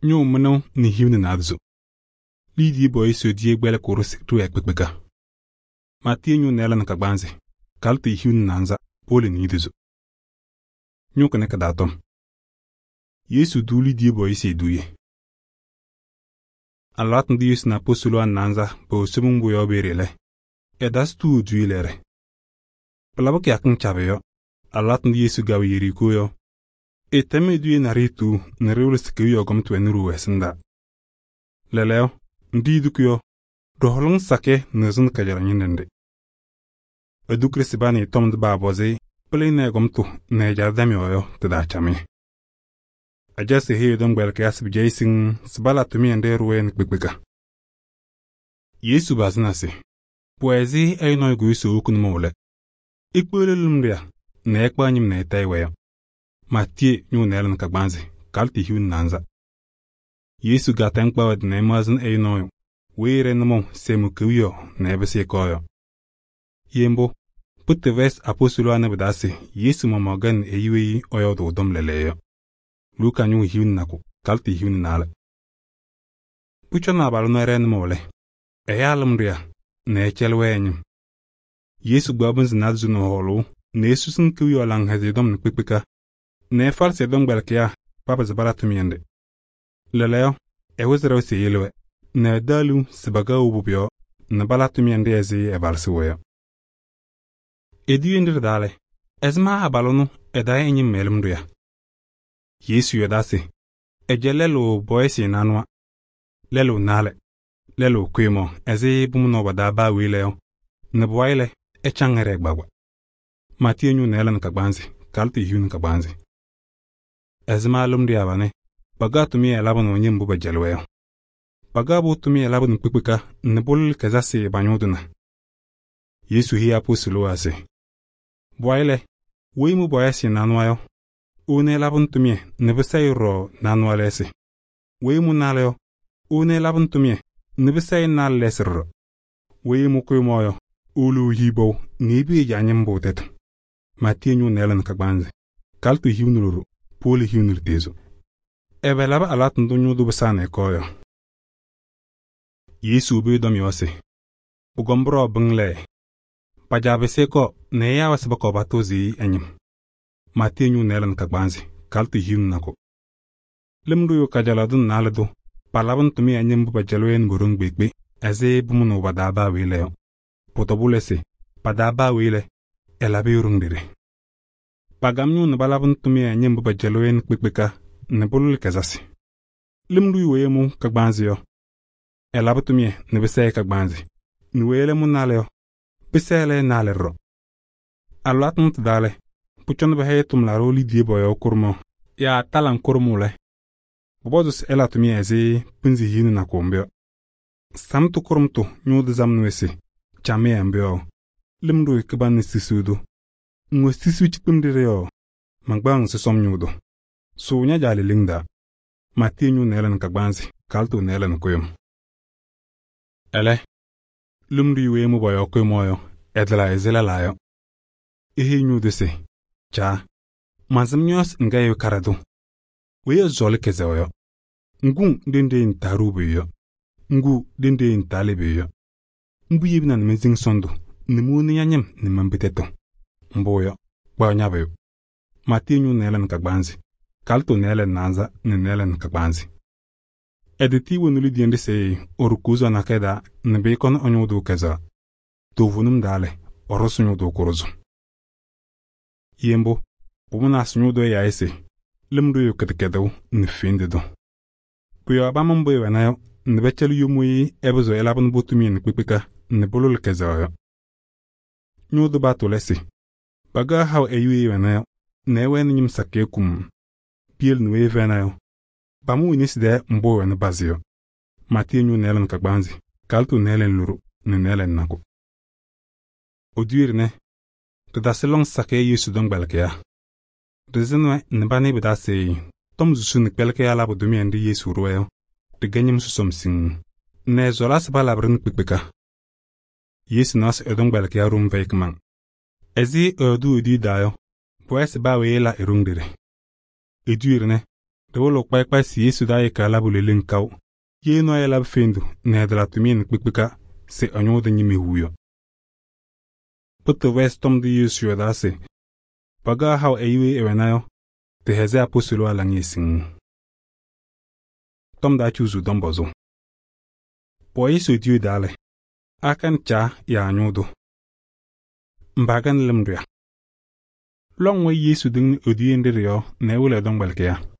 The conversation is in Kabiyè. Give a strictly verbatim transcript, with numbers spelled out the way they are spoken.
ñʋʋ mɩnʋʋ nɛ hiu nɛ naadozo. Liidiyee bɔyɩ Yesu kpɛlɩkʋʋ ɖɩsɩ ɖɩwɛɛ kpekpeka. Maatiyee ñʋʋ nɩɩla nɛ kagbaanzɩ, kalɩtɩ hiu nɛ naanza, powolo niidozo. Ñʋʋ kɩnɛ kɩ-taa tɔm. Yesu duu liidiyee bɔyɩ eduuye. Alɩwaatʋ ndʋ Yesu nɛ apostolowaa nɛ naanza pɛwɛ Somiŋ Mbʋ yɔɔ peeye lɛ, ɛtasɩ tuuu eduuye lɛɛrɛ. Pɩlabɩ kɩyakɩŋ cabɩ yɔ, alɩwaatʋ ndʋ Yesu gawa Yerikoo yɔ, ɛtɛm eduuye naɖɩyɛ tuu nɛ ɖɩwɩlɩ se kewiyaɣ gɔmtʋ wɛnɩ ɖooo ɛsɩndaa. Lɛɛlɛɛyɔ, ndʋ yidukʋ yɔ, ɖɩhɔlɩŋ sakɩyɛ nɩɣzɩnɩ kajalaɣ ñɩnɖɛ nɖɩ. Ɛdʋ Kirɩsɩbanɩ tɔm ndʋ baapɔzɩ pɩlɩnɩ ɛ-gɔmtʋ nɛ ɛjaɖɛ dam yɔɔ yɔ tɩ-taa camɩyɛ. Ajaɣsɩ eheyi ɛ-tɔmkpɛlɩkɩyaa se pɩjaɣyɩ siŋŋ se pala tʋmɩyɛ nɖɩ ɛɖʋ-wɛ nɛ kpekpeka. Yesu bazɩna se pʋwɛ ɛzɩ ɛyʋ nɔɔyʋ kʋyʋsʋ ewoku nʋmɔʋ lɛ, ekpeɣli lɩmɖɩya nɛ ɛkpaɣ ñɩm nɛ ɛtayɩ-wɛ yɔ. Maatiyee ñʋʋ nɩɩla nɛ kagbaanzɩ, kalɩtɩ hiu nɛ naanza. Yesu gaatɛŋ kpaɣ ɛ-tɩ nɛ ɛmaɣzɩnɩ ɛyʋ nɔɔyʋ weyi ɛɖɛ nʋmɔʋ se ɛmʋ kewiyaɣ nɛ ɛpɩsɩ ɛkɔɔ yɔ. Ye mbʋ, pʋtɩ vɛɛsɩ apostolowaa nɛ pɩ-taa se Yesu maɣmaɣ ganɩ ɛyʋ weyi ɛyɔɔdʋʋ tɔm lɛɛlɛɛyɔ yɔ. Luka ñʋʋ hiu nɛ nakʋ, kalɩtɩ hiu nɛ naalɛ. Pʋcɔ na abalʋ ɛnʋ ɛɖɛɛ nʋmɔʋ lɛ, ɛyaa lɩmɖɩya nɛ ɛcɛlɩ-wɛ ɛ-ñɩm. Yesu gbaɣ pɩnzɩ naadozo nɛ hɔɔlʋʋ nɛ esusiŋ kewiyaɣ laŋhɛzɩyɛ tɔm nɛ kpekpeka nɛ ɛfalɩsɩ ɛ-tɔmkpɛlɩkɩyaa papɩzɩ pala tʋmɩyɛ nɖɩ. Lɛɛlɛɛyɔ, ɛwɩzɩ ɖɛʋ se eyele-wɛ nɛ ɛdaɣ liu se pakaɣ wobu pʋ-yɔɔ nɛ pala tʋmɩyɛ nɖɩ ɛzɩ ɛvalɩsɩ-wɛ yɔ. Eduuye nɖɩ ɖɩ-taa lɛ, ɛzɩma abalʋ ɛnʋ ɛdayɛ ɛ-ñɩm mɛ-lɩmɖʋya? Yesu yɔɔdaa se ɛjɛ lɛlʋ bɔyɩsɩ nanʋwa, lɛlʋ naalɛ, lɛlʋ kʋyʋmɔɔ ɛzɩ bʋmʋnɔɔ badaa baa weyi lɛ yɔ, nɛ pʋwayɩ lɛ, ɛcaŋ ɛɖɛɛ gbaagba. Maatiyee ñʋʋ nɩɩla nɛ kagbaanzɩ, kalɩtɩ hiu nɛ kagbaanzɩ. Ɛzɩma lɩmɖɩya banɩ pagaɣ tʋmɩyɛ labɩnɩ ñɩm mbʋ pɛjɛlɩ-wɛ yɔ. Pagaɣ-pʋ tʋmɩyɛ labɩnɩ kpekpeka nɛ pʋlɩlɩ kɛzasɩ pa-ñʋʋ tʋna. Yesu heyi apostolowaa se pʋwayɩ lɛ, weyi mʋ bɔyɩsɩ nanʋwa yɔ, ewoni ɛlabɩnɩ tʋmɩyɛ nɛ pɩsɛyɩ ɖɔɖɔ nanʋwa lɛɛsɩ. Weyi mʋ naalɛ yɔ, ewoni ɛlabɩnɩ tʋmɩyɛ nɛ pɩsɛyɩ naalɛ lɛɛsɩ ɖɔɖɔ. Weyi mʋ kʋyʋmɔɔ yɔ, ewolo ehiɣ bɔʋ nɛ ebiye ja-ñɩm mbʋ tɛtʋ. Maatiyee ñʋʋ nɩɩla nɛ kagbaanzɩ, kalɩtɩ hiu nɛ loɖo, powolo hiu nɛ lutezo. Ɛbɛ labɩ alɩwaatʋ ndʋ ñʋʋ tʋ pɩsaa nɛ ɛkɔɔ yɔ? Yesu bɩ dɔm yɔɔ se pʋgɔm bʋrɔɔ bɩŋ lɛɛ, pajaa pɩsɩ ɛkɔɔ nɛ ɛyaa-wɛ se pɔkɔɔ patʋʋzɩ ɛ-ñɩm. Maatiyee ñʋʋ nɩɩla nɛ kagbaanzɩ, kalɩtɩ hiu nɛ nakʋ. Lɩmɖʋyʋ kajalaɣ dʋ nɛ naalɛ dʋ palabɩnɩ tʋmɩyɛ ñɩm mbʋ pɛjɛlɩ-wɛ nɛ po-ɖoŋ kpeekpe ɛzɩ bʋmʋnʋʋ badaa baa weyi lɛ yɔ. Pʋ-tɔbʋ lɛ se padaa baa weyi lɛ, ɛlabɩ-ɩ ɖoŋ ɖeɖe. Pagam ñʋʋ nɛ palabɩnɩ tʋmɩyɛ ñɩm mbʋ pɛjɛlɩ-wɛ nɛ kpekpeka nɛ pʋlɩlɩ kɛzasɩ. Lɩmɖʋyʋ weyi mʋ kagbaanzɩ yɔ, ɛlabɩ tʋmɩyɛ nɛ pɩsɛyɩ kagbaanzɩ, nɛ weyi lɛ mʋ naalɛ yɔ, pɩsɛyɩ naalɛ ɖɔɖɔ. Alɩwaatʋ ndʋ tɩ-taa lɛ, pʋcɔ nɛ pɛhɛyɩ tʋmlaɖʋ liidiyee bɔyɔɔ kʋrʋmɔɔ yaa talaŋ kʋrʋmʋʋ lɛ, pʋpɔzʋ se ɛla tʋmɩyɛ ɛzɩ pɩnzɩ hiu nɛ nakʋ mbʋ yɔ. Samtʋ kʋrʋmtʋ ñʋʋ dɩ zamɩnɩ-wɛ se camɩyɛ mbʋ yɔ, lɩmɖʋyʋ kɩbanɩ sisiu dʋ. Ŋwɛ sisiu cikpem ɖɩɖɛ yɔ, maŋgbaŋ sɔsɔm ñʋʋ dʋ. Sʋʋ ña-jaa leleŋ daa. Maatiyee ñʋʋ nɩɩla nɛ kagbaanzɩ, kalɩtɩ nɩɩla nɛ kʋyʋm. Ɛlɛ, lɩmɖʋyʋ weyi mʋ bɔyɔɔ kʋyʋmɔɔ yɔ, ɛdɩla ɛzɩ lɛlaa yɔ. Eheyi ñʋʋ tʋ se Caa, mansɩm ñɔɔsɩ ŋga ɛyʋ karɩ dʋ. Weyi ɛzɔɔlɩ kɛzɛɛwɛ yɔ. Ŋguŋ ɖenɖe ŋtaa ɖʋʋ pʋyʋ yɔ. Ŋgu ɖenɖe ŋtaa le pʋyʋ yɔ. Mbʋ yebina nɛ mensiŋ sɔndʋ nɛ mowoni ña-ñɩm nɛ man-pɩ tɛtʋ. Mbʋ yɔ, kpaɣ ñabʋyʋ. Maatiyee ñʋʋ nɩɩla nɛ kagbaanzɩ, kalɩtɩ nɩɩla nɛ naanza nɛ nɩɩla nɛ kagbaanzɩ. Ɛdɩtɩ woni lidiya nɖɩ se ɔrʋkʋʋzɔ nakɛyɛ daa nɛ bɩ kɔnɩ ɔ-ñʋʋ dʋ kɛzɛɣa. Toovenim daa lɛ, ɔrʋsɩ ñʋʋ dʋ kʋrʋzʋ. Ye mbʋ, pʋmʋnaasɩ ñʋʋ dʋ ɛyaa se lɩmɖʋyʋ kɩdɩkɛdɩw nɛ feŋde dʋ. Pʋ-yɔɔ bama mbʋ ɛwɛna yɔ nɛ bɛcɛlɩ yom weyi ɛpɩzɩɣ ɛlabɩnɩ bʋ tʋmɩyɛ nɛ kpekpeka nɛ pʋlʋlɩ kɛzɛɛwa yɔ. Ñʋʋ dʋ baatʋ lɛ se pagaɣ haʋ ɛyʋ weyi ɛwɛna yɔ nɛ ɛwɛnɩ ñɩm sakɩyɛ kum piyel nɛ weyi ɛfɛna yɔ, pamʋ winesi dɛɛ mbʋ ɛwɛnɩ bazɩ yɔ. Maatiyee ñʋʋ nɩɩla nɛ kagbaanzɩ, kalɩtɩ nɩɩla nɛ loɖo nɛ nɩɩla nɛ nakʋ. Oduye dɩnɛ, tɩtasɩ lɔŋ sakɩyɛ Yesu tɔmkpɛlɩkɩyaa. Dɩzɩnɩ-wɛ nɛ ba nɩ pɩ-taa se tɔm zusu nɛ kpɛlɩkɩyaa labɩ tʋmɩyɛ nɖɩ Yesu ɖʋ-wɛ yɔ, tɩgɛ ñɩm sɔsɔm siŋŋ nɛ ɛzɔɔlasɩ pa labɩrɩ nɛ kpekpeka. Yesu naɣ se ɛ-tɔmkpɛlɩkɩyaa ɖʋm fɛyɩ kɩmaŋ. Ɛzɩ ɛyɔɔdʋ eduuye daa yɔ, pʋwɛɛ se baa weyi ɛla e-ɖoŋ ɖeɖe. Eduuye dɩnɛ, Ɖɩwʋlʋʋ kpayɩ kpayɩ se Yesu daa yɩka labʋ leleŋ kaʋ. Ye nɔɔyʋ labɩ fendu nɛ ɛtɩlɩ tʋmɩyɛ nɛ kpekpeka se ɛ-ñʋʋ tʋ ñɩma ehu yɔ. Pʋtʋʋvʋ Ɛsɔ tɔm ndʋ Yesu yɔɔdaa se pakaɣ haʋ ɛyʋ weyi ɛwɛna yɔ, tɩ-hɛzɩ apostolowaa laŋɩyɛ siŋŋ. Tɔm taa ciɣzuu tɔm pɔzʋʋ. Pʋwɛ Yesu etiyu taa lɛ, akanɩ Caa yaa ñʋʋ tʋ? Mba kɛnɩ lɩm ɖʋya. Lɔŋ wayɩ Yesu tɩŋnɩ eduuye nɖɩ ɖɩ-yɔɔ nɛ ɛwɩlɩ ɛ-tɔmkpɛlɩkɩyaa.